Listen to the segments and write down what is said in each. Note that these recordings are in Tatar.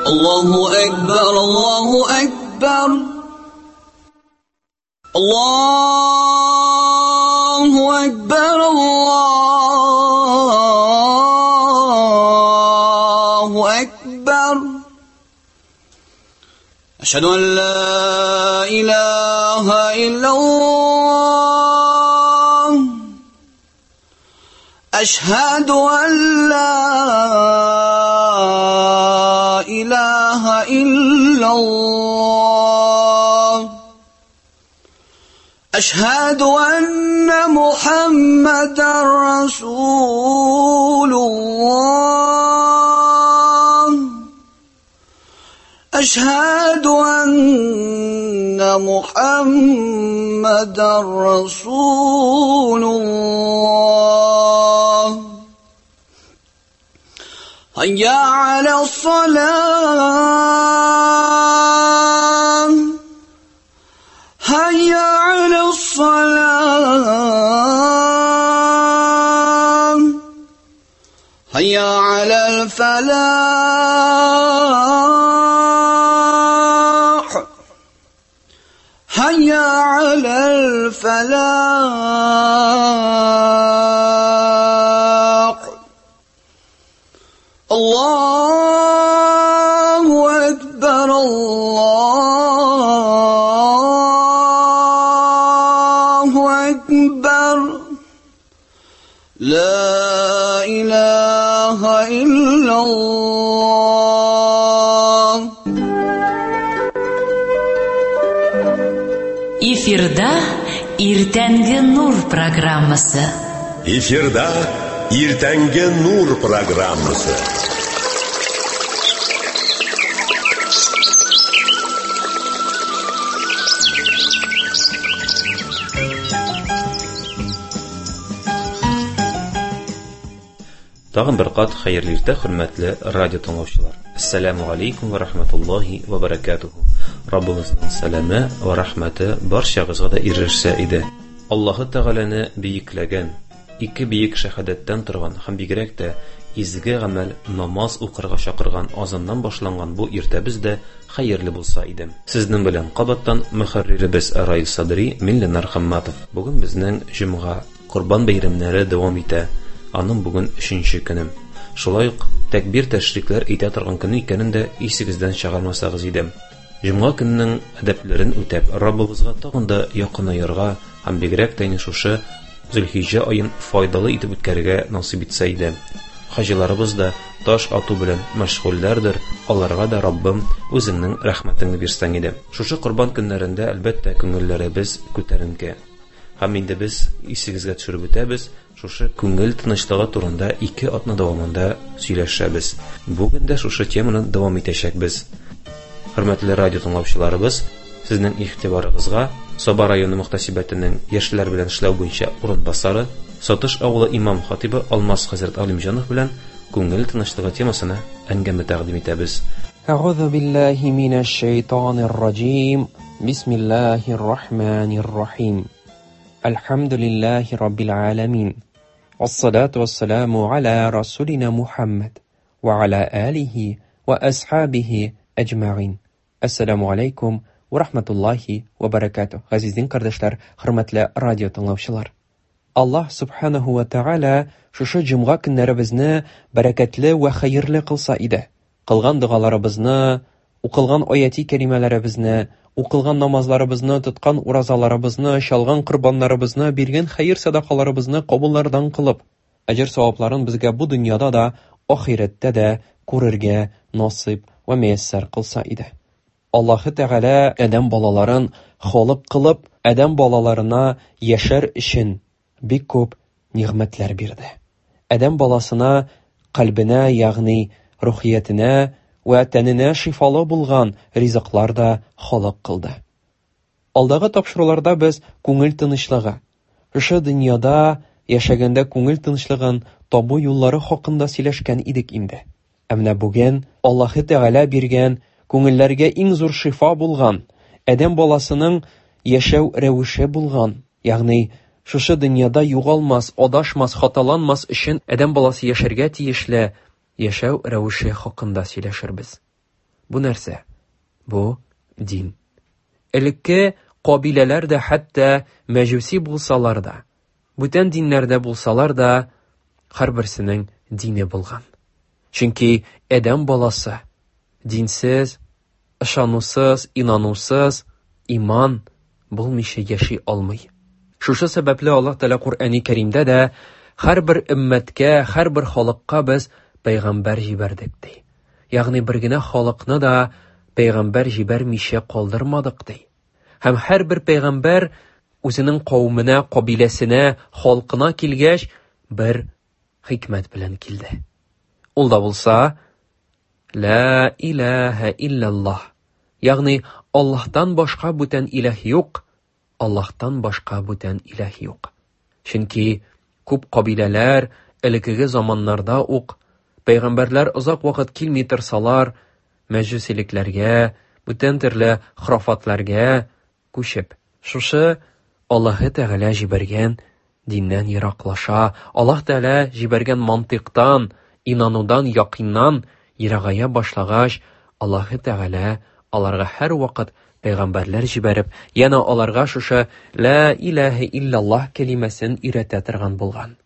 Allahu Ekber, Allahu Ekber. Allahu Ekber, Allahu Ekber. Eşhedü en la ilahe illallah. Eşhedü en la ilahe illallah. Eşhedü enne Muhammeden Resulullah. Eşhedü enne Muhammeden Resulullah. Hayya alas-salah. Hayya alas-salah. Hayya alal-falah. Hayya alal-falah. Allahu Ekber, Allahu Ekber. La ilahe illallah. Эфирда Иртәнге Нур программасы. Эфирда Иртәнге Нур программасы. Тагын бер кат хәерле иртә, хөрмәтле радио тыңлаучылар. Ассаламу алейкум ва рахматуллахи ва баракатуху. Раббыбызның сәламе ва рахмәте барчагызга да ирешсә иде. Аллаһы Тәгаләне бөекләгән, ике бөек шәһадәттән торган һәм бигрәк тә изге гамәл намаз укырга чакырган азаннан башланган бу иртәбез дә хәерле булса иде. Сезнең белән кабаттан мөхәрриребез Раил Садри, мин Ленар Хамматов. Бүген безнең җомга, Корбан бәйрәмнәре дәвам итә. Аның бүген 3нче көне. Шулай ук тәкбир тәшрикләр әйтә торган көне икәнен дә исегездән чыгармасагыз иде. Җомга көненең әдәпләрен үтәп, Раббыбызга тагын да якынаерга һәм бигрәк тә инде шушы Зөлхиҗҗә аен файдалы итеп үткәрергә насыйп итсә иде. Хаҗиларыбыз да таш ату белән мәшгульләрдер, аларга да Раббым үзеңнең рәхмәтеңне бирсәң иде. Шушы корбан көннәрендә әлбәттә күңелләребез күтәренке. Һәм инде без исегезгә төшереп үтәбез, шушы күңел тынычлыгы турында 2 атна дәвамында сөйләшәбез. Бүген дә шушы теманы дәвам итәчәкбез. Хөрмәтле радио тыңлаучыларыбыз, сезнең игътибарыгызга Саба районы мөхтәсибәтенең яшьләр белән эшләү буенча урынбасары, Сатыш авылы имам хатибы Алмаз хәзрәт Алимҗанов белән күңел тынычлыгы темасына әңгәмә тәкъдим итәбез. Әгъузу биллаһи минәш шайтанир раҗим. Бисмиллаһир рахманир рахим. Әлхәмдүлиллаһи раббил аламин. Вассалату вассаламу аля расулина Мухаммад ва аля алихи ва асхабихи әҗмәгыйн. Ассаламу алейкум ва рахматуллахи ва баракатуh. Газиз дин кардәшләр, хөрмәтле радио тыңлаучылар. Аллаһ субханаһу ва тааля шушы җомга көннәребезне бәрәкәтле ва хәерле кылса иде. Кылган догаларыбызны, укылган аяти кәримәләребезне, укылган намазларыбызны, тоткан уразаларыбызны, чалган корбаннарыбызны, биргән хәер садакаларыбызны кабуллардан кылып, әҗер савапларын безгә бу дөньяда да, ахирәттә дә күрергә насыйп ва мияссәр кылса иде. Аллаһы Тәгалә адәм балаларын халык кылып, адәм балаларына яшәр өчен бик күп нигъмәтләр бирде. Адәм баласына кальбенә, ягъни рухиятенә вә тәненә шифалы булган ризыклар да халык кылды. Алдагы тапшыруларда без күңел тынычлыгы, шушы дөньяда яшәгәндә күңел тынычлыгын табу юллары хакында сөйләшкән идек инде. Ә менә бүген Аллаһы Тәгалә биргән күңелләргә иң зур шифа булган, адәм баласының яшәү рәвеше булган, ягъни шушы дөньяда югалмас, адашмас, хаталанмас өчен адәм баласы яшәргә тиешле яшәү рәвеше хакында сөйләшербез. Бу нәрсә? Бу дин. Элекке кабиләләр дә хәтта мәҗүси булсалар да, бүтән диннәрдә булсалар да, һәрберсенең дине булган. Чөнки адәм баласы динсез, ышанусыз, инанусыз, иман булмыйча яши алмый. Шушы сәбәпле Аллаһ Тәгалә Коръәни Кәримдә дә һәрбер өммәткә, һәрбер халыкка без пәйгамбәр җибәрдек ди. Ягъни бер генә халыкны да пәйгамбәр җибәрмичә калдырмадык ди. Һәм һәрбер пәйгамбәр үзенең кавеменә, кабиләсенә, халкына килгәч, бер хикмәт белән килде. Ул да булса, Ла илаһа илляллаһ. Ягъни Аллаһтан башка бүтән илаһ юк, Аллаһтан башка бүтән илаһ юк. Чөнки күп кабиләләр элеккеге заманнарда ук пәйгамбәрләр озак вакыт килми торсалар, мәҗүсилекләргә, бүтән төрле храфатларга күчеп, шушы Аллаһы Тәгалә җибәргән диннән ераклаша, Аллаһ Тәгалә җибәргән мантыйктан, инанудан, якыннан ерагая башлагач, Аллаһы Тәгалә аларга һәрвакыт пәйгамбәрләр җибәреп, янә аларга шушы «Ла илаһа илляллаһ» кәлимәсен өйрәтә торган булган.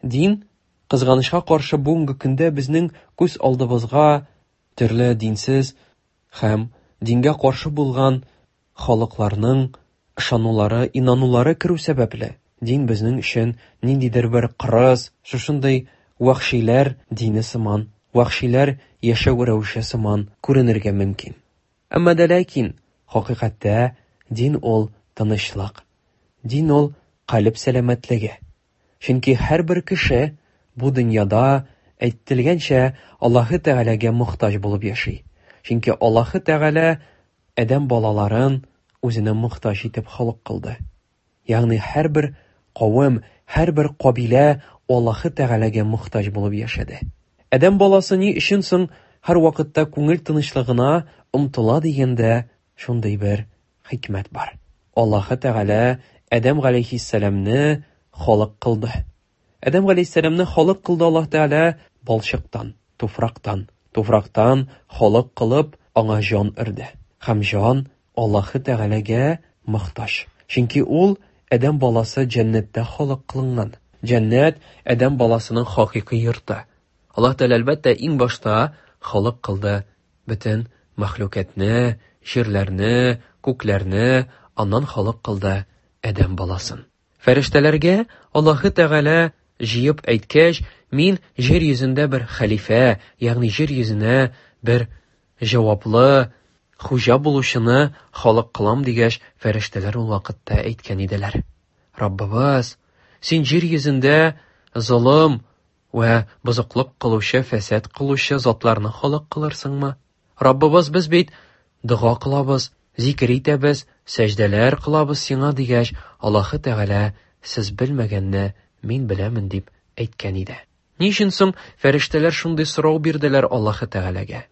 Дин, кызганычка каршы, бүгенге көндә безнең күз алдыбызга төрле динсез һәм дингә каршы булган халыкларның ышанулары, инанулары керү сәбәпле, дин безнең өчен ниндидер бер кырыс, шушындый вәхшиләр дине сыман, вәхшиләр яшәү рәвеше сыман күренергә мөмкин. Әмма дә ләкин хакыйкатьтә дин ул тынычлык. Дин ул калеб сәламәтлеге. Чөнки һәрбер кеше бу дөньяда әйтелгәнчә Аллаһы Тәгаләгә мохтаҗ булып яши. Чөнки Аллаһы Тәгалә адәм балаларын үзенә мохтаҗ итеп халык кылды. Ягъни һәрбер кавем, һәрбер кабилә Аллаһы Тәгаләгә мохтаҗ булып яшәде. Адәм баласы ни өчен соң һәр вакытта күңел тынычлыгына омтыла дигәндә шундый бер хикмәт бар. Аллаһы Тәгалә Адәм галәйһиссәламне халык кылды. Адәм галәйһиссәламне халык кылды Аллаһ Тәгалә балчыктан, туфрактан. Туфрактан халык кылып, аңа җан өрде. Һәм җан Аллаһы Тәгаләгә мохтаҗ. Чөнки ул адәм баласы җәннәттә халык кылынган. Җәннәт адәм баласының хакыйкый йорты. Аллаһ Тәгалә әлбәттә иң башта халык кылды бөтен мәхлукатны, җирләрне, күкләрне, аннан халык кылды адәм баласын. Фәрештәләргә Аллаһы Тәгалә җыеп әйткәч, мин җир йөзендә бер хәлифә, ягъни җир йөзенә бер җаваплы хуҗа булучыны халык кылам дигәч, фәрештәләр ул вакытта әйткән иделәр. Раббыбыз, син җир йөзендә золым вә бозыклык кылучы, фәсад кылучы затларны халык кылырсыңмы? Раббыбыз, без бит дога кылабыз, зикер итәбез, сәҗдәләр кылабыз сиңа дигәч, Аллаһы Тәгалә сез белмәгәнне мин беләмен дип әйткән иде. Ни өчен соң фәрештәләр шундый сорау бирделәр Аллаһы Тәгаләгә?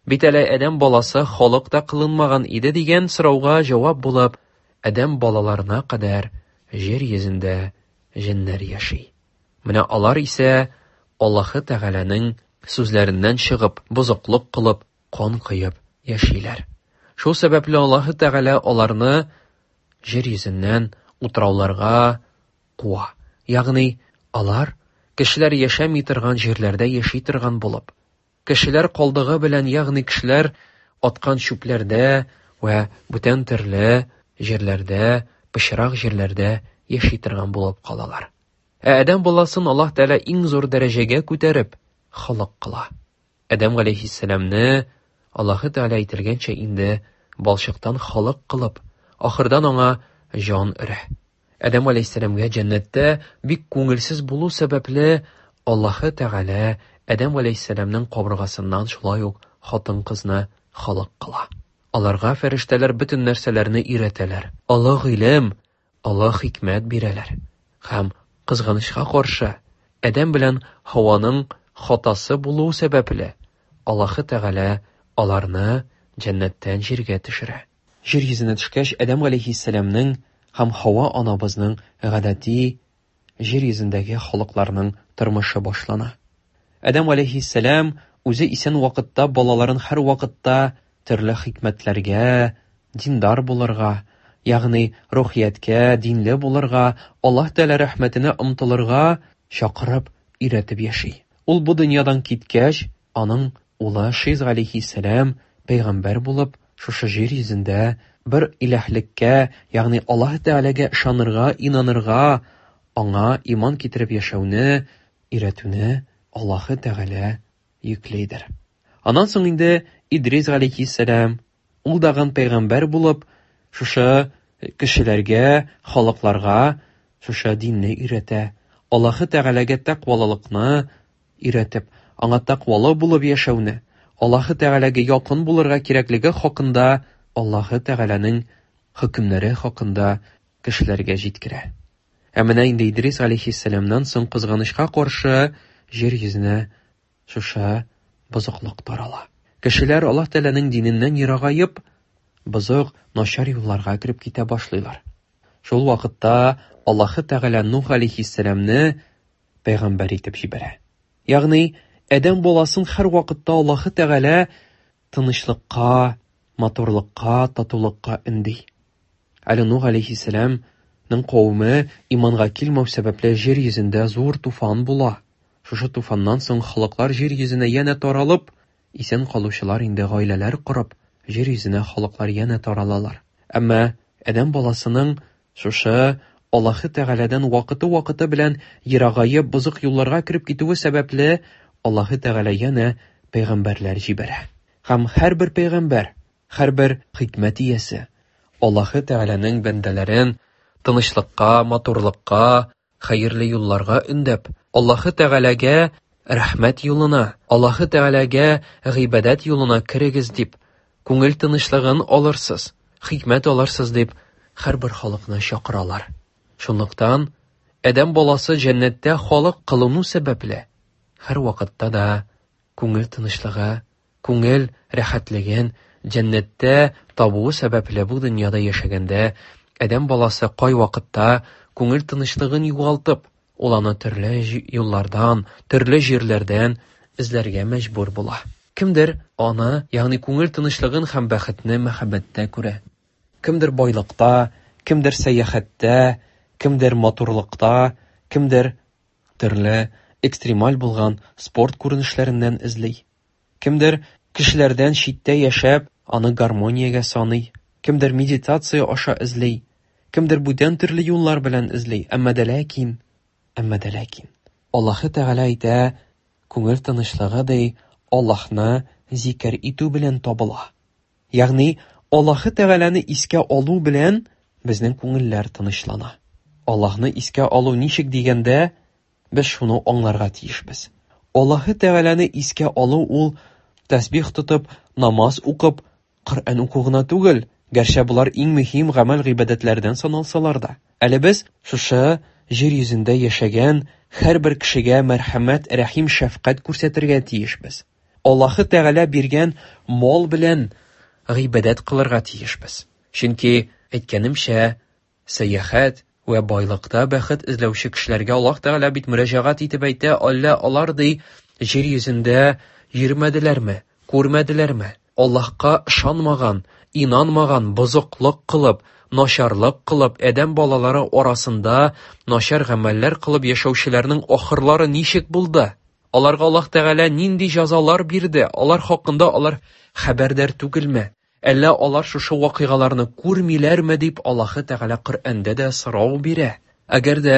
Бит әле адәм баласы халык та кылынмаган иде дигән сорауга җавап булып, адәм балаларына кадәр җир йөзендә җеннәр яши. Менә алар исә Аллаһы Тәгаләнең сүзләреннән чыгып, бозыклык кылып, кан коеп яшиләр. Шул сәбәпле Аллаһы Тәгалә аларны җир йөзеннән утрауларга куа. Ягъни алар кешеләр яшәми торган җирләрдә яши торган булып, кешеләр калдыгы белән, ягъни кешеләр аткан чүпләрдә вә бүтән төрле җирләрдә, пычрак җирләрдә яши торган булып калалар. Ә адәм баласын Аллаһ Тәгалә иң зур дәрәҗәгә күтәреп халык кыла. Адәм галәйһиссәламне Аллаһы Тәгалә әйтелгәнчә инде балчыктан халык кылып, ахырдан аңа җан өрә. Адәм галәйһиссәламгә җәннәттә бик күңелсез булу сәбәпле Аллаһы Тәгалә Адәм галәйһиссәламнең кабыргасыннан шулай ук хатын-кызны халык кыла. Аларга фәрештәләр бөтен нәрсәләрне өйрәтәләр. Олы гыйлем, олы хикмәт бирәләр. Һәм кызганычка каршы, Адәм белән Һаваның хатасы булу сәбәпле, Аллаһы Тәгалә аларны җәннәттән җиргә төшерә. Җир йөзенә төшкәч, Адәм галәйһиссәламнең һәм Һава анабызның гадәти җир йөзендәге халыкларның тормышы башлана. Адәм галәйһиссәлам үзе исән вакытта балаларын һәр вакытта төрле хикмәтләргә, диндар булырга, ягъни рухияткә, динле булырга, Аллаһ Тәгалә рәхмәтенә омтылырга чакырып, өйрәтеп яши. Ул бу дөньядан киткәч, аның улы Шиз галәйһиссәлам пәйгамбәр булып, шушы җир йөзендә бер иләһлеккә, ягъни Аллаһ Тәгаләгә ышанырга, инанырга, аңа иман китереп яшәүне өйрәтүне Аллаһы Тәгалә йөклидер. Аннан соң инде Идрис галәйһиссәлам, ул дагын пәйгамбәр булып, шушы кешеләргә, халыкларга шушы динне өйрәтә. Аллаһы Тәгаләгә тәкъвалылыкны өйрәтеп, аңа тәкъвалы булып яшәүне, Аллаһы Тәгаләгә якын булырга кирәклеге хакында, Аллаһы Тәгаләнең хөкемнәре хакында кешеләргә җиткерә. Ә менә инде Идрис алейхиссәламнан соң кызганычка каршы җир йөзенә шушы бозыклык тарала. Кешеләр Аллаһ Тәгаләнең диненнән ерагаеп, бозык, начар юлларга кереп китә башлыйлар. Шул вакытта Аллаһы Тәгалә Нух алейхиссәламне пәйгамбәр итеп җибәрә. Ягъни, адәм баласын һәр вакытта Аллаһы Тәгалә тынычлыкка, матурлыкка, татулыкка өнди. Әле Нух алейхиссәламның кавеме иманга килмәү сәбәпле җир йөзендә зур туфан була. Шушы туфаннан соң халыклар җир йөзенә янә таралып, исән калучылар инде гаиләләр корып, җир йөзенә халыклар янә таралалар. Әмма адәм баласының шушы Аллаһы Тәгаләдән вакыты-вакыты белән ерагаеп, бозык юлларга кереп китүе сәбәпле, Аллаһы Тәгалә янә пәйгамбәрләр җибәрә. Һәм һәрбер пәйгамбәр, һәрбер хикмәт иясе Аллаһы Тәгаләнең бәндәләрен тынычлыкка, матурлыкка, хәерле юлларга өндәп, Аллаһы Тәгаләгә рәхмәт юлына, Аллаһы Тәгаләгә гыйбадәт юлына керегез дип, күңел тынычлыгын алырсыз, хикмәт алырсыз дип, һәрбер халыкны чакыралар. Шунлыктан адәм баласы җәннәттә халык кылыну сәбәпле, һәр вакытта да күңел тынычлыгы, күңел рәхәтлеген җәннәттә табуы сәбәпле бу дөньяда яшәгәндә адәм баласы кайвакытта күңел тынычлыгын югалтып, ул аны төрле юллардан, төрле җирләрдән эзләргә мәҗбүр була. Кемдер аны, ягъни күңел тынычлыгын һәм бәхетне мәхәббәттә күрә. Кемдер байлыкта, кемдер сәяхәттә, кемдер матурлыкта, кемдер төрле экстремаль булган спорт күренешләреннән эзли. Кемдер кешеләрдән читтә яшәп, аны гармониягә саный. Кемдер медитация аша эзли. Кемдер бүтән төрле юллар белән эзли. Әмма дә ләкин, әмма дә ләкин. Аллаһы Тәгалә әйтә, күңел тынычлыгы ди, Аллаһны зикер итү белән табыла. Ягъни, Аллаһы Тәгаләне искә алу белән безнең күңелләр тынычлана. Аллаһны искә алу ничек дигәндә, без шуны аңларга тиешбез. Аллаһы Тәгаләне искә алу ул тәсбих тотып, намаз укып, Коръән уку гына түгел, гәрчә болар иң мөһим гамәл-гыйбадәтләрдән саналсалар да. Әле без шушы җир йөзендә яшәгән һәрбер кешегә мәрхәмәт, рәхим, шәфкать күрсәтергә тиешбез. Аллаһы Тәгалә биргән мал белән гыйбадәт кылырга тиешбез. Чөнки, әйткәнемчә, сәяхәт вә байлыкта бәхет эзләүче кешеләргә Аллаһ Тәгалә бит мөрәҗәгать итеп әйтә, әллә алар ди җир йөзендә йөрмәделәрме, күрмәделәрме? Аллаһка ышанмаган, инанмаган, бозыклык кылып, начарлык кылып, адәм балалары арасында начар гамәлләр кылып яшәүчеләрнең ахырлары ничек булды? Аларга Аллаһ Тәгалә нинди җәзалар бирде? Алар хакында алар хәбәрдар түгелме? Әллә алар шушы вакыйгаларны күрмиләрме дип Аллаһы Тәгалә Коръәндә дә сорау бирә. Әгәр дә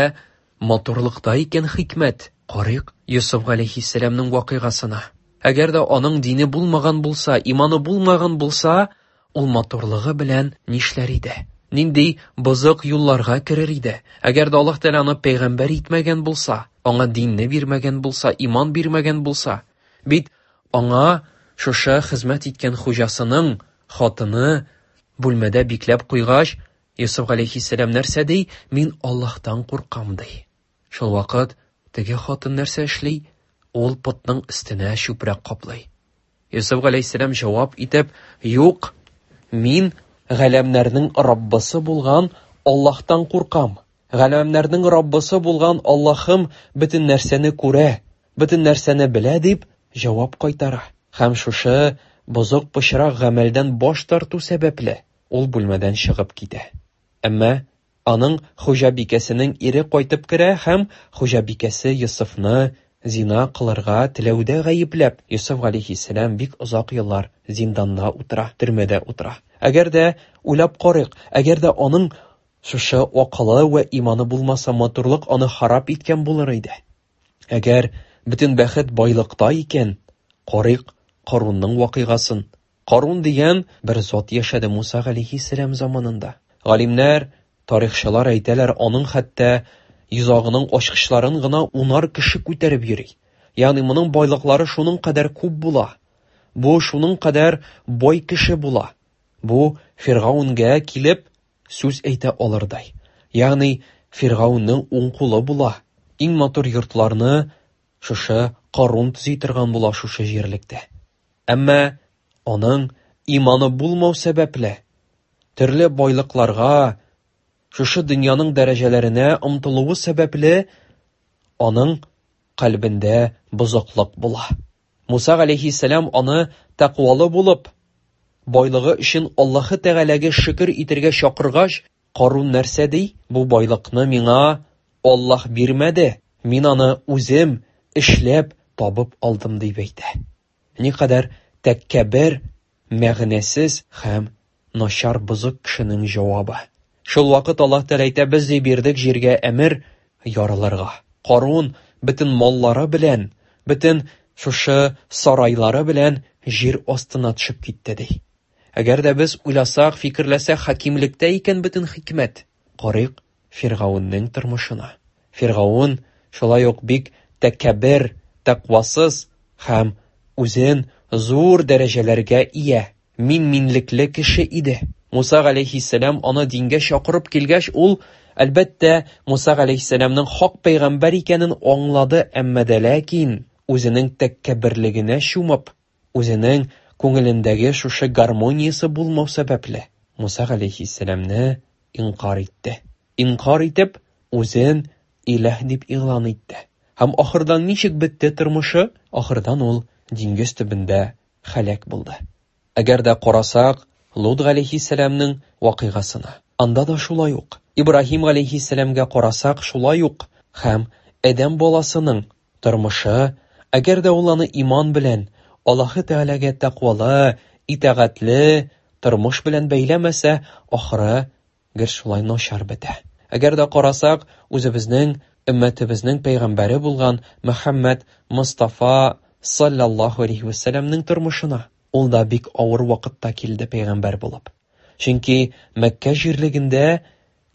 матурлыкта икән хикмәт, карыйк Йосыф галәйһиссәламнең вакыйгасына. Әгәр дә аның дине булмаган булса, иманы булмаган булса, ул матурлыгы белән нишләр иде? Нинди бозык юлларга керер иде? Әгәр дә Аллаһ Тәгалә аны пәйгамбәр итмәгән булса, аңа динне бирмәгән булса, иман бирмәгән булса, бит аңа шушы хезмәт иткән хуҗасының хатыны бүлмәдә бикләп куйгач, Йосыф галәйһиссәлам нәрсә ди? Мин Аллаһтан куркам ди. Шул вакыт теге хатын нәрсә эшли? Ул потның өстенә чүпрәк каплый. Йосыф галәйһиссәлам җавап итеп, юк, мин галәмнәрнең Раббысы булган Аллаһтан куркам. Галәмнәрнең Раббысы булган Аллаһым бөтен нәрсәне күрә, бөтен нәрсәне белә дип җавап кайтара. Һәм шушы бозык пычрак гамәлдән баш тарту сәбәпле, ул бүлмәдән чыгып китә. Әмма аның хуҗабикәсенең ире кайтып керә һәм хуҗабикәсе Йосыфны зина кылырга теләүдә гаепләп, Йосыф галәйһиссәлам бик озак еллар зинданда утыра, төрмәдә утыра. Әгәр дә уйлап карыйк, әгәр дә аның шушы акылы вә иманы булмаса, матурлык аны харап иткән булыр иде. Әгәр бөтен бәхет байлыкта икән, карыйк Карунның вакыйгасын. Карун дигән бер зат яшәде Муса галәйһиссәлам заманында. Галимнәр, тарихчылар әйтәләр, аның хәтта йозагының ачкычларын гына унар кеше күтәреп йөри. Ягъни моның байлыклары шуның кадәр күп була. Бу шуның кадәр бай кеше була. Бу Фиргаунгә килеп сүз әйтә алырдай. Ягъни Фиргаунның уң кулы була. Иң матур йортларны шушы Карун төзи торган була шушы җирлектә. Әмма аның иманы булмау сәбәпле, төрле байлыкларга, шушы дөньяның дәрәҗәләренә омтылуы сәбәпле, аның кальбендә бозыклык була. Муса галәйһиссәлам аны тәкъвалы булып, байлыгы өчен Аллаһы Тәгаләгә шөкер итәргә чакыргач, Карун нәрсә ди? Бу байлыкны миңа Аллаһ бирмәде, мин аны үзем эшләп табып алдым дип әйтә. Никадәр тәкәббер, мәгънәсез һәм начар бозык кешенең җавабы. Шул вакыт Аллаһ Тәгалә әйтә, без ди бирдек җиргә әмер ярылырга. Карун бөтен маллары белән, бөтен шушы сарайлары белән җир астына төшеп китте ди. Әгәр дә без уйласак, фикерләсәк, хакимлектә икән бөтен хикмәт. Карыйк Фиргаунның тормышына. Фиргаун шулай ук бик тәкәббер, тәкъвасыз һәм үзен зур дәрәҗәләргә ия, мин-минлекле кеше иде. Муса галәйһиссәлам аны дингә чакырып килгәч, ул, әлбәттә, Муса галәйһиссәламның хак пәйгамбәр икәнен аңлады, әмма дә ләкин үзенең тәкәбберлегенә чумып, үзенең күңелендәге шушы гармониясе булмау сәбәпле, Муса галәйһиссәламне инкар итте. Инкар итеп, үзен иләһ дип игълан итте. Һәм ахырдан ничек бетте тормышы? Ахырдан ул диңгез төбендә һәлак булды. Әгәр дә карасак, Лут галәйһиссәламнең вакыйгасына, анда да шулай ук. Ибраһим галәйһиссәламгә карасак, шулай ук. Һәм адәм баласының тормышы, әгәр дә ул аны иман белән, Аллаһы Тәгаләгә тәкъвалы, итагатьле тормыш белән бәйләмәсә, ахыры гел шулай начар бетә. Әгәр дә карасак, үзебезнең өммәтебезнең пәйгамбәре булган Мөхәммәд Мостафа саллаллаһу алейһи вәсәлләмнең тормышына, ул да бик авыр вакытта килде пәйгамбәр булып. Чөнки Мәккә җирлегендә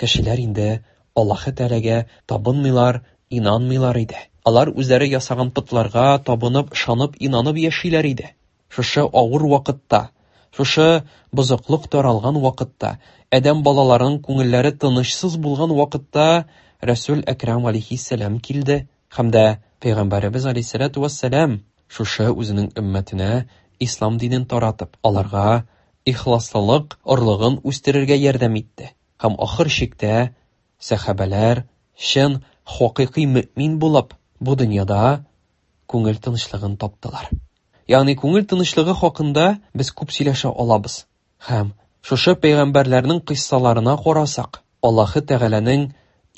кешеләр инде Аллаһы Тәгаләгә табынмыйлар, инанмыйлар иде. Алар үзләре ясаган потларга табынып, ышанып, инанып яшиләр иде. Шушы авыр вакытта, шушы бозыклык таралган вакытта, адәм балаларының күңелләре тынычсыз булган вакытта Рәсүл Әкрам алейһиссәлам килде һәм дә Пәйгамбәребез алейһиссәлату вәссәлам шушы үзенең өммәтенә ислам динен таратып, аларга ихласлылык орлыгын үстерергә ярдәм итте. Һәм ахыр чиктә сәхабәләр чын хакыйкый мөмин булып, бу дөньяда күңел тынычлыгын таптылар. Ягъни күңел тынычлыгы хакында без күп сөйләшә алабыз. Һәм шушы пәйгамбәрләрнең кыйссаларына карасак, Аллаһы Тәгаләнең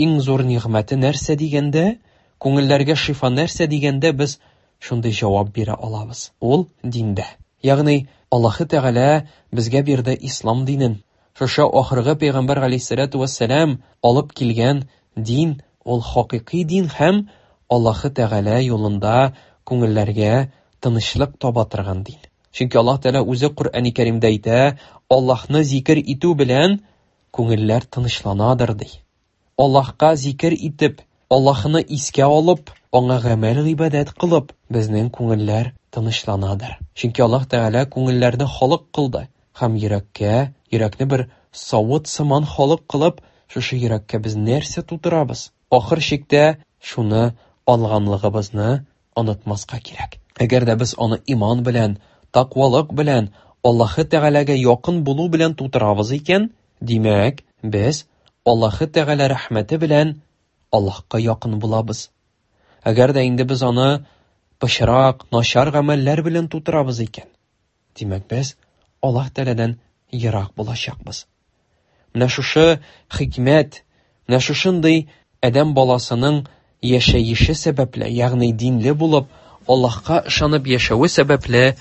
иң зур нигъмәте нәрсә дигәндә, күңелләргә шифа нәрсә дигәндә без шундый җавап бирә алабыз. Ул диндә. Ягъни Аллаһы Тәгалә безгә бирде ислам динен. Шушы ахыргы пәйгамбәр галәйһиссәлату вәссәлам алып килгән дин, ул хакыйкый дин һәм Аллаһы Тәгалә юлында күңелләргә тынычлык таба торган дин. Чөнки Аллаһ Тәгалә үзе Коръәни Кәримдә әйтә, Аллаһны зикер итү белән күңелләр тынычланадыр ди. Аллаһка зикер итеп, Аллаһны искә алып, аңа гамәл гыйбадәт кылып, безнең күңелләр тынычланадыр. Чөнки Аллаһ Тәгалә күңелләрне халык кылды һәм йөрәккә, йөрәкне бер савыт сыман халык кылып, шушы йөрәккә без нәрсә тутырабыз? Ахыр чиктә шуны алганлыгыбызны онытмаска кирәк. Әгәр дә без аны иман белән, тәкъвалык белән, Аллаһы Тәгаләгә якын булу белән тутырабыз икән, димәк, без Аллаһы Тәгалә рәхмәте белән Аллаһка якын булабыз. Әгәр дә инде без аны пычрак, начар гамәлләр белән тутырабыз икән, Димәк, без Аллаһ Тәгаләдән ерак булачакбыз. Менә шушы хикмәт, менә шушындый адәм баласының яшәеше сәбәпле, ягъни динле булып, Аллаһка ышанып яшәве сәбәпле,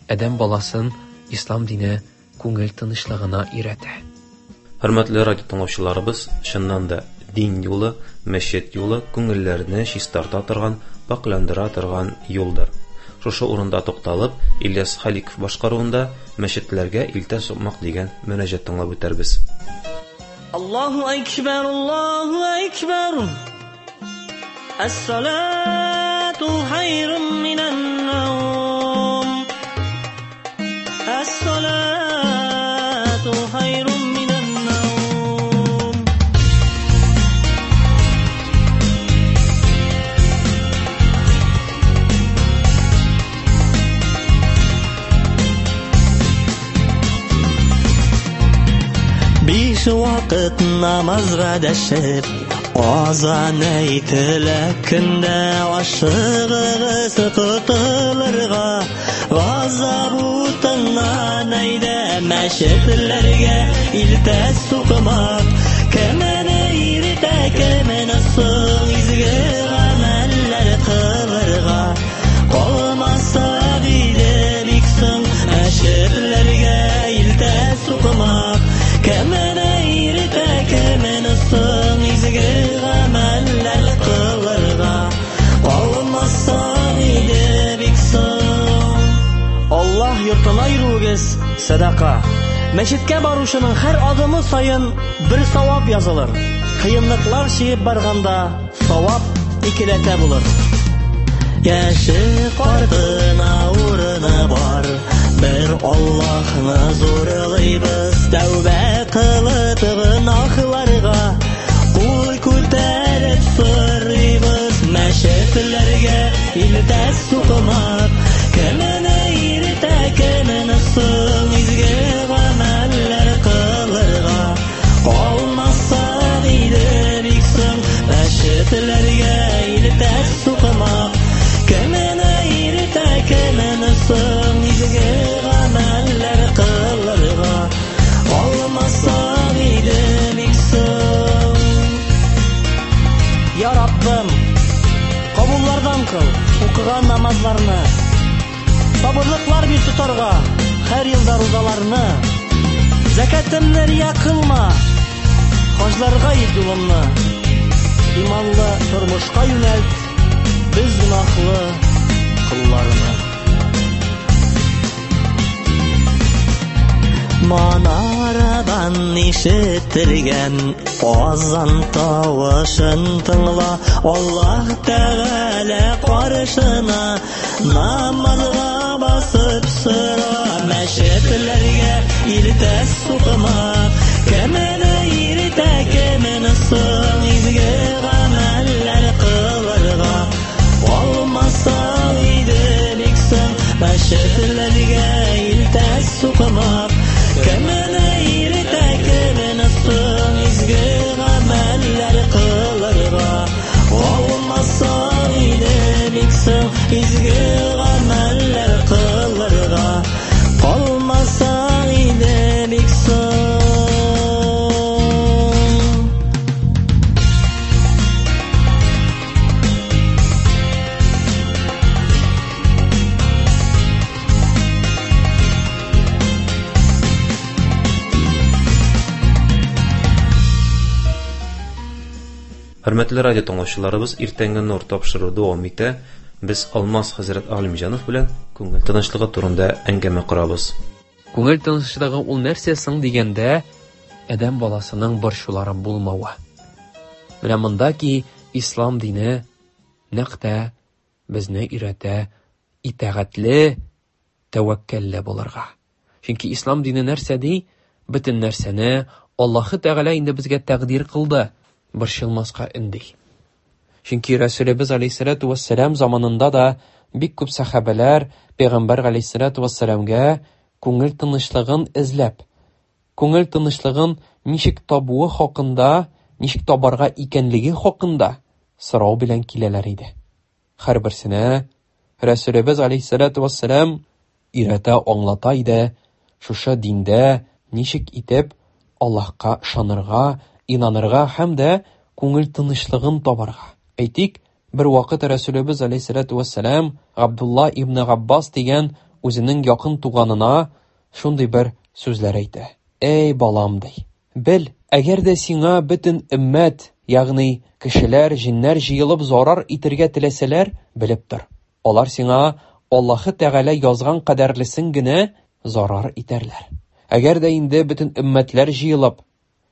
адәм баласын ислам дине күңел тынычлыгына өйрәтә. Хөрмәтле радио тыңлаучыларыбыз, чыннан да дин юлы, мәчет юлы күңелләрне чистарта торган, пакьландыра торган юлдыр. Шушы урында тукталып, Ильяс Халиков башкаруында мәчетләргә илтә сукмак дигән мөнәҗәт тыңлап үтәрбез. Аллаһу акбар, Аллаһу акбар. Әс-салату хайрун минән наум. Әс-салату хайрун минән наум. Биш вакыт намазга дәшеп, азан әйтелә көндә ашыгыгыз котылырга, газап утыннан әйдә мәчетләргә илтә сукмак. Кемне иртә, кемне соң изге гамәлләр кылырга, калмаса диде бик соң мәчетләргә илтә сукмак. Кемне иртә, кемне соң изге гамәлләр кылырга, калмаса диде бик соң. Аллаһ йортына йөрүегез садака. Мәчеткә баручының һәр адымы саен бер савап язылыр. Кыенлыклар чигеп барганда савап икеләтә булыр. Яше картына урыны бар, бер Аллаһны зурлыйбыз, тәүбә кылып гөнаһларга кул күтәреп сорыйбыз, мәчетләргә илтә сукмак. Кемне иртә, кемне соң изге гамәлләр кылырга, калмаса диде бик соң мәчетләргә илтә сукмак. Кемне иртә, кемне соң изге гамәлләр кылырга, калмаса диде бик соң. Я Раббым, кабуллардан кыл укыган намазларны, сабырлыклар бир тотарга һәр елда рузаларны, зәкәтемне рия кылма, хаҗларга ит юлымны, иманлы тормышка юнәлт без гөнаһлы колларны. Манарадан ишетелгән азан тавышын тыңла, Аллаһ Тәгалә каршына намазга басып сора, мәчетләргә илтә сукмак. Кемне иртә, кемне соң изге гамәлләр кылырга, калмаса иде бик соң мәчетләргә илтә сукмак. Кемне иртә, кемне соң изге гамәлләр кылырга, калмаса иде бик соң изге гамәлләр кылырга, калмаса иде бик соң. Хөрмәтле радио тыңлаучыларыбыз, иртәнге нур тапшыруы дәвам итә. Без Алмаз хәзрәт Галимҗанов белән күңел тынычлыгы турында әңгәмә корабыз. Күңел тынычлыгы ул нәрсә соң дигәндә, адәм баласының борчулары булмавы. Менә монда ки ислам дине нәкъ тә безне өйрәтә итагатьле, тәвәккәлле булырга. Чөнки ислам дине нәрсә ди? Бөтен нәрсәне Аллаһы Тәгалә инде безгә тәкъдир кылды, борчылмаска өнди. Чөнки Рәсүлебез алейһиссалату вассалам заманында да бик күп сәхабәләр Пәйгамбәр алейһиссалату вассаламга күңел тынычлыгын эзләп, күңел тынычлыгын ничек табуы хакында, ничек табарга икәнлеге хакында сорау белән киләләр иде. Һәрберсенә Рәсүлебез алейһиссалату вассалам өйрәтә, аңлата иде, шушы диндә ничек итеп Аллаһка ышанырга, инанырга һәм дә күңел тынычлыгын табарга. Әйтик, бер вакыт Рәсүлебез алейһиссалату вассалам Габдулла ибн Габбас дигән үзенең якын туганына шундый бер сүзләр әйтә. Эй, балам, ди. Бел, әгәр дә сиңа бөтен өммәт, ягъни кешеләр, җиннәр җыелып зарар итергә теләсәләр, белеп тор. Алар сиңа Аллаһы Тәгалә язган кадәрлесен генә зарар итәрләр. Әгәр дә инде бөтен өммәтләр җыелып,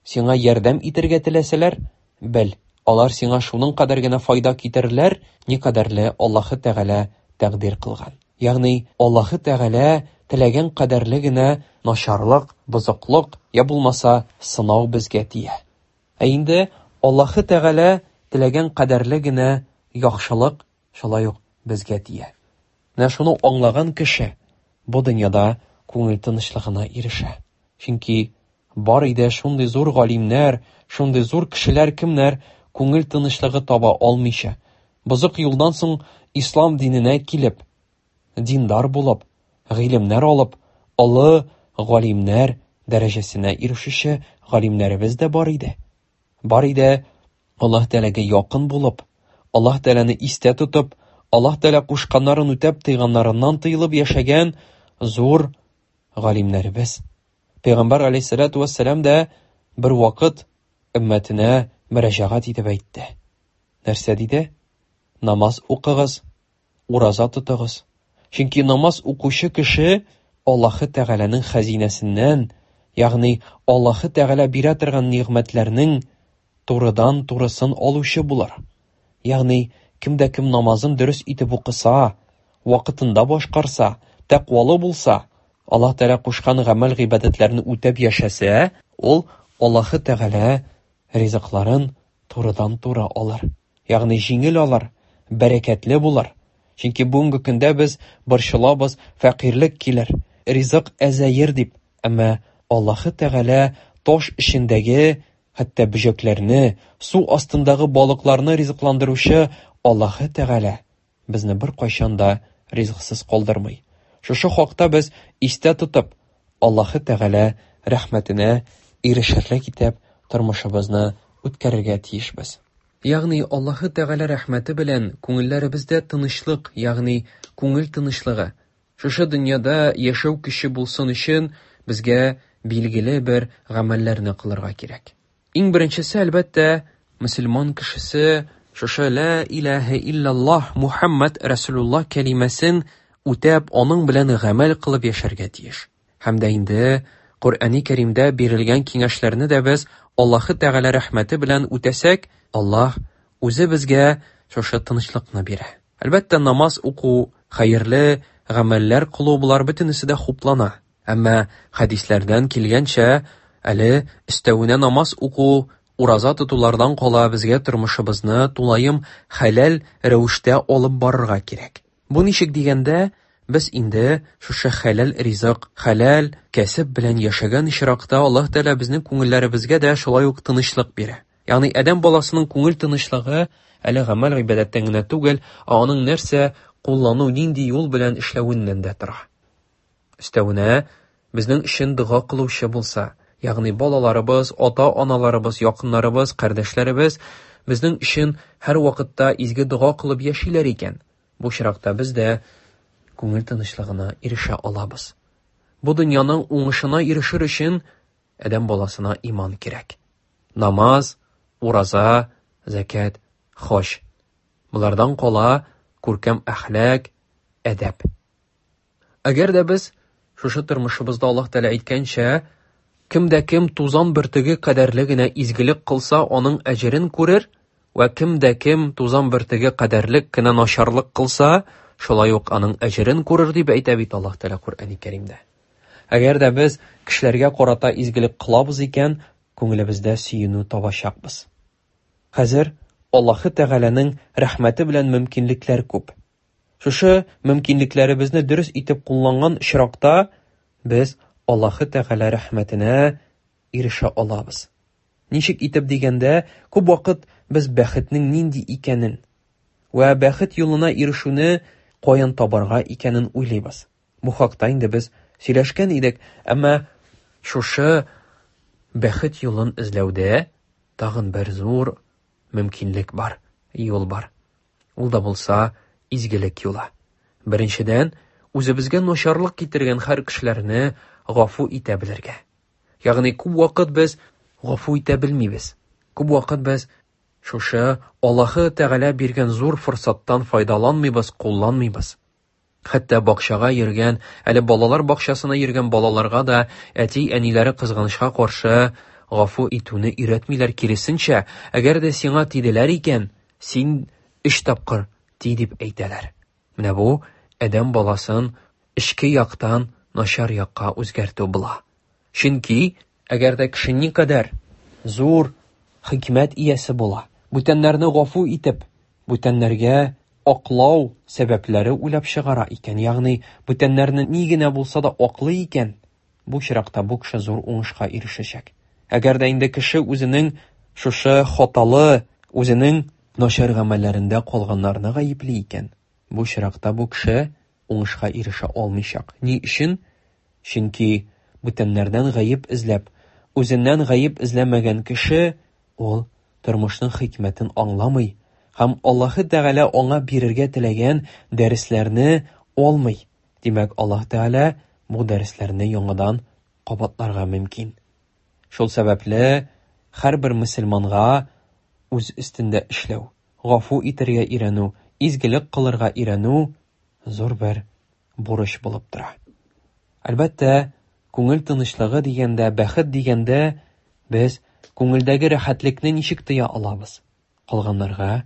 сиңа ярдәм итергә теләсәләр, бел, алар сиңа шуның кадәр генә файда китерерләр, никадәрле Аллаһы Тәгалә тәкъдир кылган. Ягъни Аллаһы Тәгалә теләгән кадәрле генә начарлык, бозыклык, я булмаса сынау безгә тия. Ә инде Аллаһы Тәгалә теләгән кадәрле генә яхшылык шулай ук безгә тия. Менә шуны аңлаган кеше бу дөньяда күңел тынычлыгына ирешә. Чөнки бар иде шундый зур галимнәр, шундый зур кешеләр, кемнәр күңел тынычлыгы таба алмыйча, бозык юлдан соң ислам диненә килеп, диндар булып, гыйлемнәр алып, олы галимнәр дәрәҗәсенә ирешүче галимнәребез дә бар иде. Бар иде Аллаһ Тәгаләгә якын булып, Аллаһ Тәгаләне истә тотып, Аллаһ Тәгалә кушканнарын үтәп, тыйганнарыннан тыелып яшәгән зур галимнәребез. Пәйгамбәр алейһиссалату вассалам да бер вакыт өммәтенә мөрәҗәгать итеп әйтте. Нәрсә диде? Намаз укыгыз, ураза тотыгыз. Чөнки намаз укучы кеше Аллаһы Тәгаләнең хәзинәсеннән, ягъни Аллаһы Тәгалә бирә торган нигъмәтләрнең турыдан турысын алучы булыр. Ягъни кем дә кем намазын дөрес итеп укыса, вакытында башкарса, тәкъвалы булса, Аллаһ Тәгалә кушкан гамәл гыйбадәтләрне үтәп яшәсә, ул Аллаһы Тәгалә ризыкларын турыдан-туры алыр. Ягъни җиңел алыр, бәрәкәтле булыр. Чөнки бүгенге көндә без борчылабыз, фәкыйрьлек килер, ризык әзәер дип. Әмма Аллаһы Тәгалә таш эчендәге хәтта бөҗәкләрне, су астындагы балыкларны ризыкландыручы Аллаһы Тәгалә безне беркайчан да ризыксыз калдырмый. Шушы хакта без истә тотып, Аллаһы Тәгалә рәхмәтенә ирешерлек итеп тормышыбызны үткәрергә тиешбез. Ягъни Аллаһы Тәгалә рәхмәте белән күңелләребездә тынычлык, ягъни күңел тынычлыгы, шушы дөньяда яшәү көче булсын өчен безгә билгеле бер гамәлләрне кылырга кирәк. Иң беренчесе, әлбәттә, мөселман кешесе шушы ла илаһа иллаллаһ Мухаммад Расулуллаһ кәлимәсен үтәп, аның белән гамәл кылып яшәргә тиеш. Һәм дә инде Коръәни Кәримдә бирелгән киңәшләрне дә без Аллаһы Тәгалә рәхмәте белән үтәсәк, Аллаһ үзе безгә шушы тынычлыкны бирә. Әлбәттә, намаз уку, хәерле гамәлләр кылу болар бөтенесе дә хуплана. Әмма хәдисләрдән килгәнчә, әле өстәвенә намаз уку, ураза тотулардан кала безгә тормышыбызны тулаем хәләл рәвештә алып барырга кирәк. Бу ничек дигәндә, без инде шушы хәләл ризык, хәләл кәсеп белән яшәгән очракта Аллаһ Тәгалә безнең күңелләребезгә дә шулай ук тынычлык бирә. Ягъни адәм баласының күңел тынычлыгы әле гамәл гыйбадәттән генә түгел, ә аның нәрсә куллану, нинди юл белән эшләвеннән дә тора. Өстәвенә, безнең өчен дога кылучы булса, ягъни балаларыбыз, ата-аналарыбыз, якыннарыбыз, кардәшләребез безнең өчен һәр вакытта изге дога кылып яшиләр икән, бу очракта без дә күңел тынычлыгына ирешә алабыз. Бу дөньяның уңышына ирешер өчен адәм баласына иман кирәк. Намаз, ураза, зәкят, хаҗ. Болардан кала күркәм әхлак, әдәп. Әгәр дә без шушы тормышыбызда Аллаһ Тәгалә әйткәнчә, кем дә кем тузан бөртеге кадәрле генә изгелек кылса, аның әҗерен күрер, вә кем дә кем тузан бөртеге кадәрлек кенә начарлык кылса, шулай ук аның әҗерен күрер дип әйтә бит Аллаһ Тәгалә Коръәни Кәримдә. Әгәр дә без кешеләргә карата изгелек кылабыз икән, күңелебездә сөенү табачакбыз. Хәзер Аллаһы Тәгаләнең рәхмәте белән мөмкинлекләр күп. Шушы мөмкинлекләребезне дөрес итеп кулланган очракта без Аллаһы Тәгалә рәхмәтенә ирешә алабыз. Ничек итеп дигәндә, күп вакыт без бәхетнең нинди икәнен вә бәхет юлына ирешүне каян табарга икәнен уйлыйбыз. Бу хакта инде без сөйләшкән идек, әмма шушы бәхет юлын эзләүдә тагын бер зур мөмкинлек бар, юл бар. Ул да булса изгелек юлы. Беренчедән, үзебезгә начарлык китергән һәр кешеләрне гафу итә белергә. Ягъни күп вакыт без гафу итә белмибез. Күп вакыт без шушы Аллаһы Тәгалә биргән зур форсаттан файдаланмыйбыз, кулланмыйбыз. Хәтта бакчага йөргән, әле балалар бакчасына йөргән балаларга да әти-әниләре кызганычка каршы гафу итүне өйрәтмиләр, киресенчә, әгәр дә сиңа тиделәр икән, син өч тапкыр ти дип әйтәләр. Менә бу адәм баласын эчке яктан начар якка үзгәртү була. Чөнки әгәр дә кеше никадәр зур хикмәт иясе була, бүтәннәрне гафу итеп, бүтәннәргә аклау сәбәпләре уйлап чыгара икән, ягъни бүтәннәрне ни генә булса да аклый икән, бу очракта бу кеше зур уңышка ирешәчәк. Әгәр дә инде кеше үзенең шушы хаталы, үзенең начар гамәлләрендә калганнарны гаепли икән, бу очракта бу кеше уңышка ирешә алмыйчак. Ни өчен? Чөнки бүтәннәрдән гаеп эзләп, үзеннән гаеп эзләмәгән кеше ул тормышның хикмәтен аңламый һәм Аллаһы Тәгалә аңа бирергә теләгән дәресләрне алмый. Димәк, Аллаһ Тәгалә бу дәресләрне яңадан кабатларга мөмкин. Шул сәбәпле һәрбер мөселманга үз өстендә эшләү, гафу итәргә өйрәнү, изгелек кылырга өйрәнү зур бер бурыч булып тора. Әлбәттә, күңел тынычлыгы дигәндә, бәхет дигәндә без күңелдәге рәхәтлекне ничек тоя алабыз? Калганнарга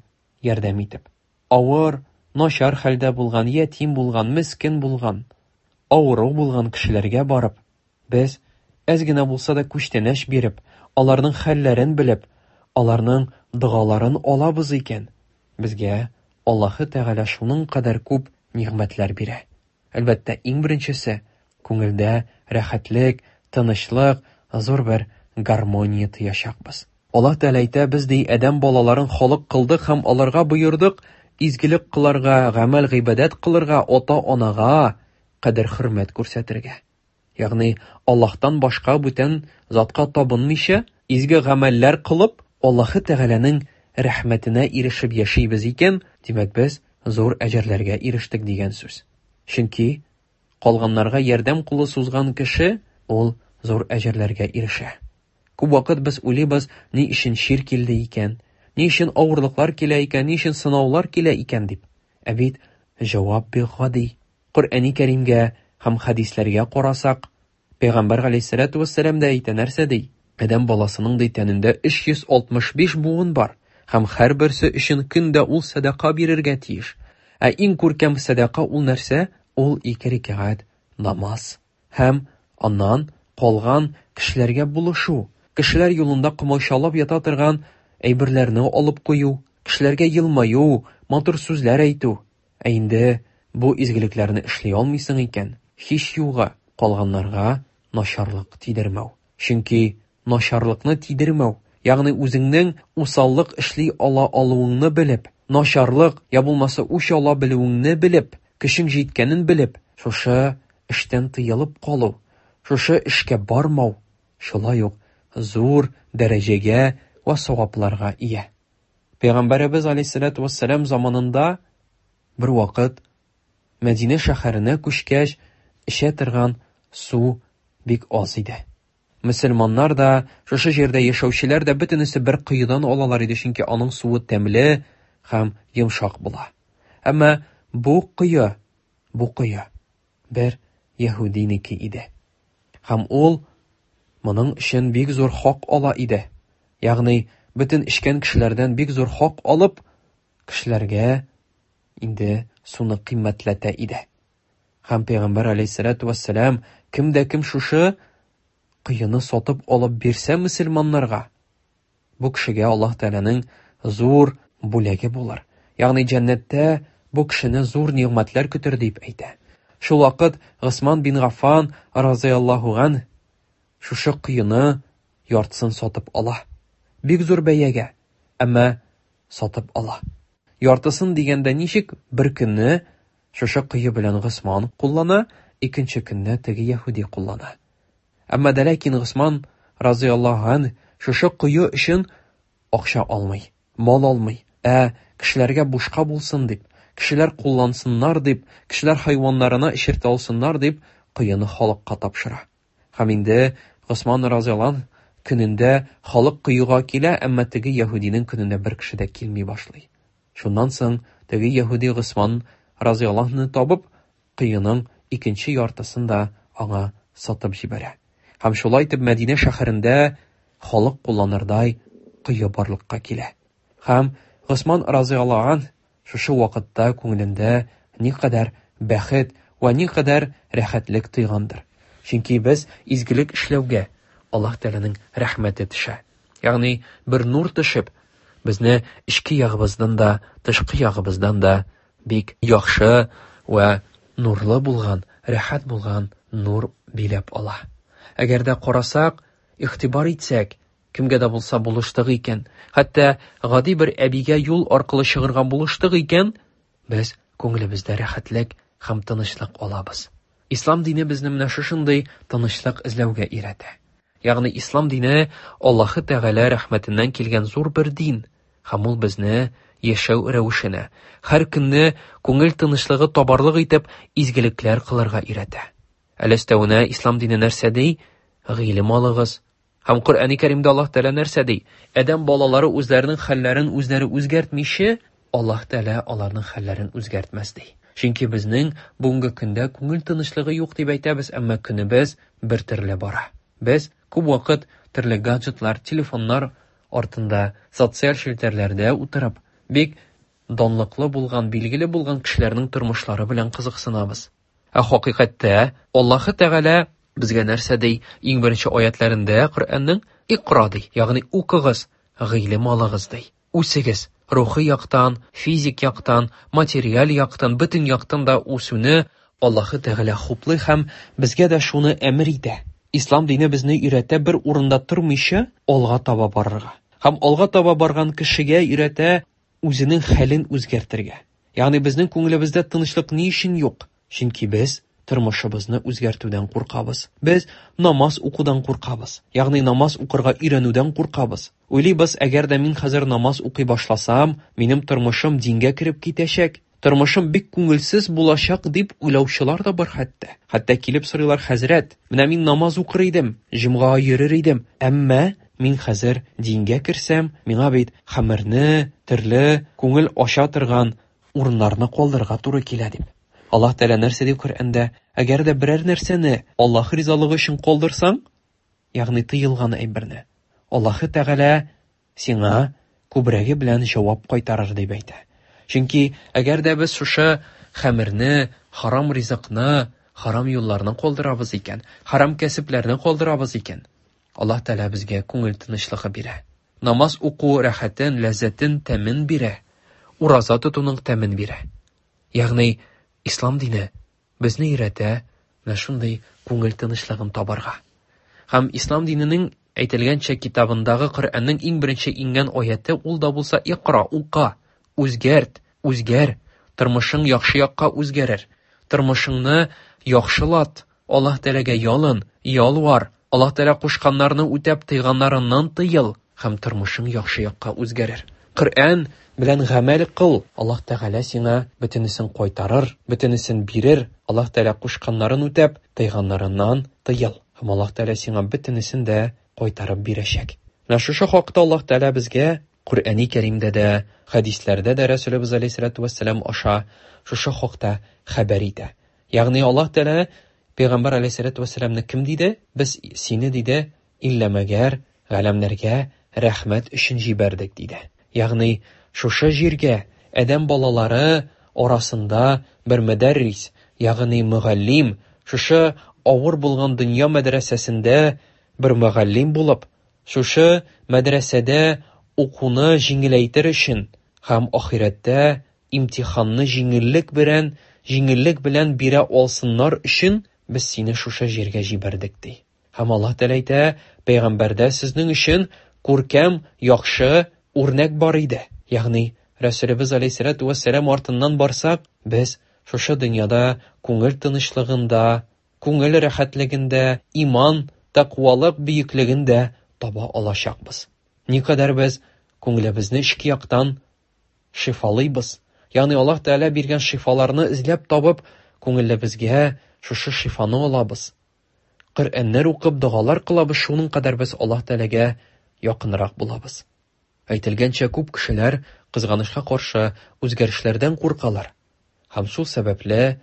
ярдәм итеп. Авыр, начар хәлдә булган, ятим булган, мескен булган, авыру булган кешеләргә барып, без әз генә булса да күчтәнәч биреп, аларның хәлләрен белеп, аларның догаларын алабыз икән, безгә Аллаһы Тәгалә шуның кадәр күп нигъмәтләр бирә. Әлбәттә, иң беренчесе күңелдә рәхәтлек, тынычлык, зур бер гармония тоячакбыз. Аллаһ Тәгалә әйтә, без ди адәм балаларын халык кылдык һәм аларга боердык изгелек кылырга, гамәл гыйбадәт кылырга, ата-анага кадер-хөрмәт күрсәтергә. Ягъни Аллаһтан башка бүтән затка табынмыйча, изге гамәлләр кылып, Аллаһы Тәгаләнең рәхмәтенә ирешеп яшибез икән, димәк без зур әҗерләргә ирештек дигән сүз. Чөнки калганнарга ярдәм кулы сузган кеше ул зур әҗерләргә ирешә. Күп вакыт без уйлыйбыз, ни өчен чир килде икән, ни өчен авырлыклар килә икән, ни өчен сынаулар килә икән дип. Ә бит җавап бик гади. Коръәни Кәримгә һәм хәдисләргә карасак, Пәйгамбәр галәйһиссәләтү вәссәлам дә әйтә, нәрсә ди? Адәм баласының ди тәнендә 365 буын бар һәм һәрберсе өчен көндә ул сәдака бирергә тиеш. Ә иң күркәм сәдака ул нәрсә? Ул ике рәкәгать намаз. Һәм аннан калган кешеләргә булышу, кешеләр юлында комачаулап ята торган әйберләрне алып кую, кешеләргә елмаю, матур сүзләр әйтү. Ә инде бу изгелекләрне эшли алмыйсың икән, һич югы калганнарга начарлык тидермәү. Чөнки начарлыкны тидермәү, ягъни үзеңнең усаллык эшли ала алуыңны белеп, начарлык я булмаса үч ала белүеңне белеп, көчең җиткәнен белеп, шушы эштән тыелып калу, шушы эшкә бармау шулай ук зур дәрәҗәгә вә савапларга ия. Пәйгамбәребез алейһиссалату вассалам заманында бер вакыт Мәдинә шәһәренә күчкәч, эчә торган су бик аз иде. Мөселманнар да, шушы җирдә яшәүчеләр дә бөтенесе бер коедан алалар иде, чөнки аның суы тәмле һәм йомшак була. Әмма бу кое, бу кое бер яһүдинеке иде. Һәм ул моның өчен бик зур хак ала иде. Ягъни бөтен эчкән кешеләрдән бик зур хак алып, кешеләргә инде суны кыйммәтләтә иде. Һәм Пәйгамбәр алейһиссалату вассалам кем дә кем шушы коены сатып алып бирсә мөселманнарга, бу кешегә Аллаһ Тәгаләнең зур бүләге булыр. Ягъни җәннәттә бу кешене зур нигъмәтләр көтер дип әйтә. Шул вакыт Госман бин Гаффан разыяллаһу ан шушы коены яртысын сатып ала. Бик зур бәягә, әмма сатып ала. Яртысын дигәндә ничек бер көнне шушы кое белән Госман куллана, икенче көнне теге яһүди куллана. Әмма дә ләкин Госман разыяллаһу ан шушы кое өчен акча алмый, мал алмый, ә кешеләргә бушка булсын дип, кешеләр куллансыннар дип, кешеләр хайваннарына эчертә алсыннар дип, коены халыкка тапшыра. Һәм инде Госман разыяллаһу көнендә халык коега килә, әмма теге яһүдинең көнендә бер кеше дә килми башлый. Шуннан соң теге яһүди Госман разыяллаһуны табып, коеның икенче яртысын да аңа сатып җибәрә. Һәм шулай итеп Мәдинә шәһәрендә халык кулланырдай кое барлыкка килә. Һәм Госман разыяллаһу ан шушы вакытта күңелендә никадәр бәхет вә никадәр рәхәтлек тойгандыр. Чөнки без изгелек эшләүгә Аллаһ Тәгаләнең рәхмәте төшә. Ягъни бер нур төшеп, безне эчке ягыбыздан да, тышкы ягыбыздан да бик яхшы вә нурлы булган, рәхәт булган нур биләп ала. Әгәр дә карасак, игътибар итсәк, кемгә дә булса булыштык икән, хәтта гади бер әбигә юл аркылы чыгырга булыштык икән, без күңелебездә рәхәтлек һәм тынычлык алабыз. Ислам дине безне менә шушындый тынычлык эзләүгә өйрәтә. Ягъни ислам дине Аллаһы Тәгалә рәхмәтеннән килгән зур бер дин, һәм ул безне яшәү рәвешенә, һәр көнне күңел тынычлыгы табарлык итеп изгелекләр кылырга өйрәтә. Әле өстәвенә ислам дине нәрсә ди? Гыйлем алыгыз. Һәм Коръәни Кәримдә Аллаһ Тәгалә нәрсә ди? Адәм балалары үзләренең хәлләрен үзләре үзгәртмичә, Аллаһ Тәгалә аларның хәлләрен үзгәртмәс ди. Чөнки безнең бүгенге көндә күңел тынычлыгы юк дип әйтәбез, әмма көнебез бер төрле бара. Без күп вакыт төрле гаджетлар, телефоннар артында, социаль челтәрләрдә утырып, бик данлыклы булган, билгеле булган кешеләрнең тормышлары белән кызыксынабыз. Ә хакыйкатьтә Аллаһы Тәгалә безгә нәрсә ди? Иң беренче аятләрендә Коръәннең Икра ди, ягъни укыгыз, гыйлем алыгыз ди. Үсегез, рухи яктан, физик яктан, материаль яктан, бөтен яктан да үсүне Аллаһы Тәгалә хуплый һәм безгә дә шуны әмер итә. Ислам дине безне өйрәтә бер урында тормыйча алга таба барырга. Һәм алга таба барган кешегә өйрәтә үзенең хәлен үзгәртергә. Ягъни безнең күңелебездә тынычлык ни өчен юк? Чөнки без тормышыбызны үзгәртүдән куркабыз. Без намаз укудан куркабыз. Ягъни намаз укырга өйрәнүдән куркабыз. Уйлыйбыз, әгәр дә мин хәзер намаз укый башласам, минем тормышым дингә кереп китәчәк, тормышым бик күңелсез булачак дип уйлаучылар да бар хәтта. Хәтта килеп сорыйлар, хәзрәт, менә мин намаз укыр идем, җомгага йөрер идем, әмма мин хәзер дингә керсәм, миңа бит хәмерне, төрле күңел ача торган урыннарны калдырырга туры килә дип. Аллаһ Тәгалә нәрсә ди Коръәндә? Әгәр дә берәр нәрсәне Аллаһ ризалыгы өчен калдырсаң, ягъни тыелган әйберне, Аллаһ Тәгалә сиңа күбрәге белән җавап кайтарыр дип әйтә. Чөнки әгәр дә без шушы хәмерне, харам ризыкны, харам юлларны калдырабыз икән, харам кәсепләрне калдырабыз икән, Аллаһ Тәгалә безгә күңел тынычлыгы бирә. Намаз уку рәхәтен, ләззәтен, тәмен бирә. Ураза тотуның тәмен бирә. Ягъни ислам дине безне өйрәтә менә шундый күңел тынычлыгын табарга. Һәм ислам диненең әйтелгәнчә китабындагы Коръәннең иң беренче иңгән аяте ул да булса икра, ука, үзгәрт, үзгәр, тормышың яхшы якка үзгәрер. Тормышыңны яхшылат, Аллаһ Тәгаләгә ялын, ялвар, Аллаһ Тәгалә кушканнарны үтәп, тыйганнарыннан тыел һәм тормышың яхшы якка үзгәрер. Коръән белән гамәл кыл, Аллаһ Тәгалә сиңа бөтенесен кайтарыр, бөтенесен бирер. Аллаһ Тәгалә кушканнарын үтәп, тыйганнарыннан тыел. Һәм Аллаһ Тәгалә сиңа бөтенесен дә кайтарып бирәчәк. Менә шушы хакта Аллаһ Тәгалә безгә Коръәни Кәримдә дә, хәдисләрдә дә Рәсүлебез алейһиссалату вәссәлам аша шушы хакта хәбәр итә. Ягъни Аллаһ Тәгалә Пәйгамбәр алейһиссалату вәссәламны кем диде? Без сине диде, иллә мәгәр галәмнәргә рәхмәт өчен җибәрдек диде. Ягъни шушы җиргә адәм балалары арасында бер мөдәррис, ягъни мөгаллим, шушы авыр булган дөнья мәдрәсәсендә бер мөгаллим булып, шушы мәдрәсәдә укуны җиңеләйтер өчен һәм ахирәттә имтиханны җиңеллек белән, җиңеллек белән бирә алсыннар өчен без сине шушы җиргә җибәрдек ди. Һәм Аллаһ Тәгалә әйтә, пәйгамбәрдә сезнең өчен күркәм, яхшы үрнәк бар иде. Ягъни Рәсүлебез алейһиссалату вәссәлам артыннан барсак, без шушы дөньяда күңел тынычлыгын да, күңел рәхәтлеген дә, иман, тәкъвалык бөеклеген дә таба алачакбыз. Никадәр без күңелебезне эчке яктан шифалыйбыз, ягъни Аллаһ Тәгалә биргән шифаларны эзләп табып, күңелебезгә шушы шифаны алабыз. Коръәннәр укып, догалар кылабыз, шуның кадәр без Аллаһ Тәгаләгә якынрак булабыз. Әйтелгәнчә, күп кешеләр, кызганычка каршы, үзгәрешләрдән куркалар. Һәм шул сәбәпле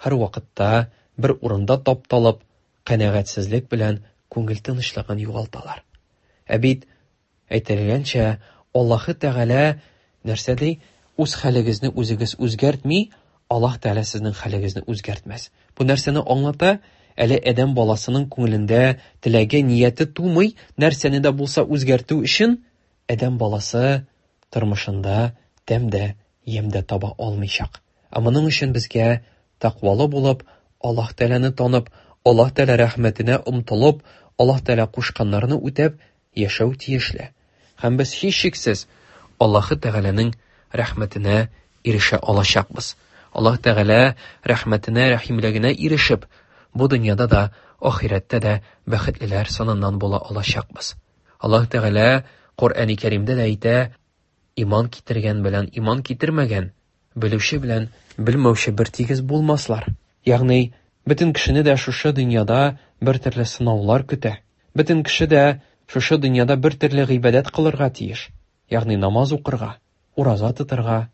һәрвакытта бер урында тапталып, канәгатьсезлек белән күңел тынычлыгын югалталар. Ә бит, әйтелгәнчә, Аллаһы Тәгалә нәрсә ди? Үз хәлегезне үзегез үзгәртми, Аллаһ Тәгалә сезнең хәлегезне үзгәртмәс. Бу нәрсәне аңлата? Әле адәм баласының күңелендә теләге, нияте тумый, нәрсәне дә булса үзгәртү өчен адәм баласы тормышында тәм дә, ямь дә таба алмыйчак. Ә моның өчен безгә тәкъвалы булып, Аллаһ Тәгаләне танып, Аллаһ Тәгалә рәхмәтенә омтылып, Аллаһ Тәгалә кушканнарны үтәп яшәү тиешле. Һәм без һичшиксез Аллаһы Тәгаләнең рәхмәтенә ирешә алачакбыз. Аллаһ Тәгалә рәхмәтенә, рәхимлегенә ирешеп, бу дөньяда да, ахирәттә дә бәхетлеләр саныннан була алачакбыз. Аллаһ Тәгалә Коръәни Кәримдә дә әйтә, иман китергән белән иман китермәгән, белүче белән белмәүче бер тигез булмаслар. Ягъни, бөтен кешене дә шушы дөньяда бер төрле сынаулар көтә. Бөтен кеше дә шушы дөньяда бер төрле гыйбадәт кылырга тиеш. Ягъни намаз укырга, ураза тотырга.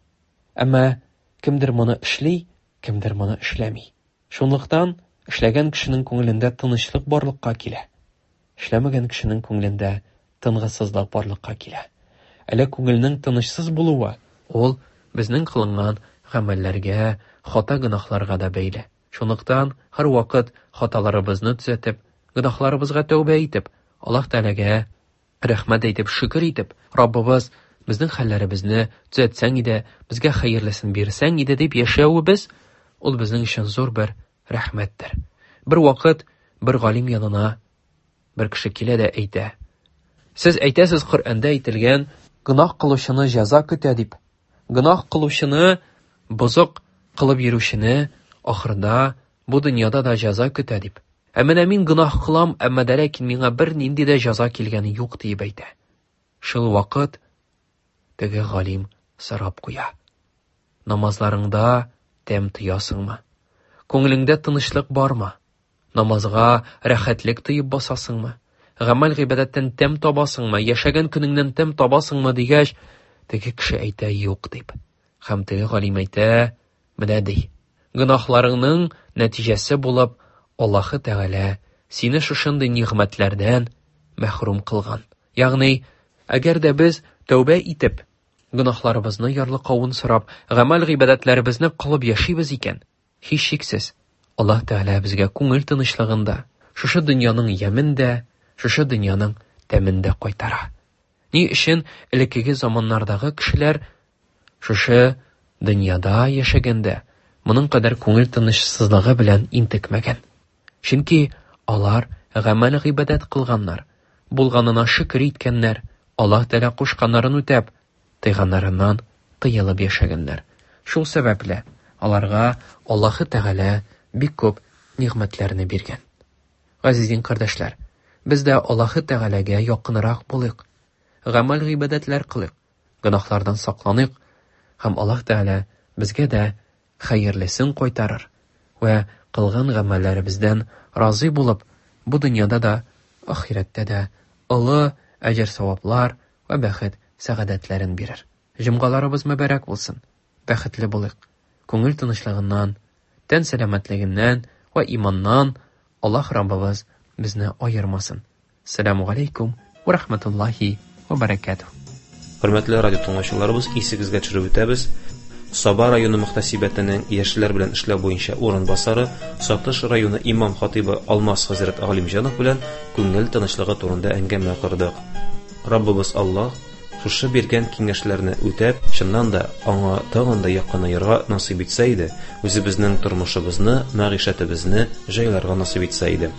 Әмма кемдер моны эшли, кемдер моны эшләми. Шунлыктан эшләгән кешенең күңелендә тынычлык барлыкка килә. Эшләмәгән кешенең күңелендә тынгысызлык барлыкка килә. Әле күңелнең тынычсыз булуы ул безнең кылынган гамәлләргә, хата гөнаһларга да бәйле. Шунлыктан һәрвакыт хаталарыбызны төзәтеп, гөнаһларыбызга тәүбә итеп, Аллаһ Тәгаләгә рәхмәт әйтеп, шөкер итеп, Раббыбыз, безнең хәлләребезне төзәтсәң иде, безгә хәерлесен бирсәң иде дип яшәвебез, ул безнең өчен зур бер рәхмәттер. Бер вакыт бер галим янына бер кеше килә дә әйтә: Сез әйтәсез, Коръәндә әйтелгән, гөнаһ кылучыны җәза көтә дип. Гөнаһ кылучыны, бозык кылып йөрүчене ахырда бу дөньяда да җәза көтә дип. Ә менә мин гөнаһ кылам, әмма дә ләкин миңа бернинди дә җәза килгәне юк диеп әйтә. Шул вакыт теге галим сорап куя: Намазларыңда тәм тоясыңмы? Күңелеңдә тынычлык бармы? Намазга рәхәтлек тоеп басасыңмы? Гамәл гыйбадәттән тәм табасыңмы? Яшәгән көнеңнән тәм табасыңмы дигәч, теге кеше әйтә юк дип. Һәм теге галим әйтә, менә ди, гөнаһларыңның нәтиҗәсе булып Аллаһы Тәгалә сине шушындый нигъмәтләрдән мәхрүм кылган. Ягъни, әгәр дә без тәүбә итеп, гөнаһларыбызны ярлыкавын сорап, гамәл гыйбадәтләребезне кылып яшибез икән, һичшиксез Аллаһ Тәгалә безгә күңел тынычлыгын да, шушы дөньяның ямен дә, шушы дөньяның тәмен дә кайтара. Ни өчен элеккеге заманнардагы кешеләр шушы дөньяда яшәгәндә моның кадәр күңел тынычсызлыгы белән интекмәгән? Чөнки алар гамәл гыйбадәт кылганнар, булганына шөкер иткәннәр, Аллаһ Тәгалә кушканнарын үтәп, тыйганнарыннан тыелып яшәгәннәр. Шул сәбәпле аларга Аллаһы Тәгалә бик күп нигъмәтләрне биргән. Газиз дин кардәшләр, без дә Аллаһы Тәгаләгә якынрак булыйк, гамәл гыйбадәтләр кылыйк, гөнаһлардан сакланыйк, һәм Аллаһ Тәгалә безгә дә хәерлесен кайтарыр вә кылган гамәлләребездән разый булып, бу дөньяда да, ахирәттә дә олы әҗер-саваплар вә бәхет сәгадәтләрен бирер. Җомгаларыбыз мөбарәк булсын, бәхетле булыйк, күңел тынычлыгыннан, тән сәламәтлегеннән вә иманнан Аллаһ Раббыбыз безне аермасын. Сәламу алейкум ва рахматуллахи ва баракатух. Хөрмәтле радио тыңлаучыларыбыз, исегезгә төшереп үтәбез. Саба районы мөхтәсибәтенең яшьләр белән эшләү буенча урынбасары, Сатыш районы имам хатыйбы Алмаз хәзрәт Галимҗанов белән күңел тынычлыгы турында әңгәмә кордык. Раббыбыз Аллаһ шушы биргән киңәшләрне үтәп, чыннан да аңа тагын да якынаерга насыйп итсә иде, үзебезнең тормышыбызны, мәгыйшәтебезне җайларга насыйп итсә иде.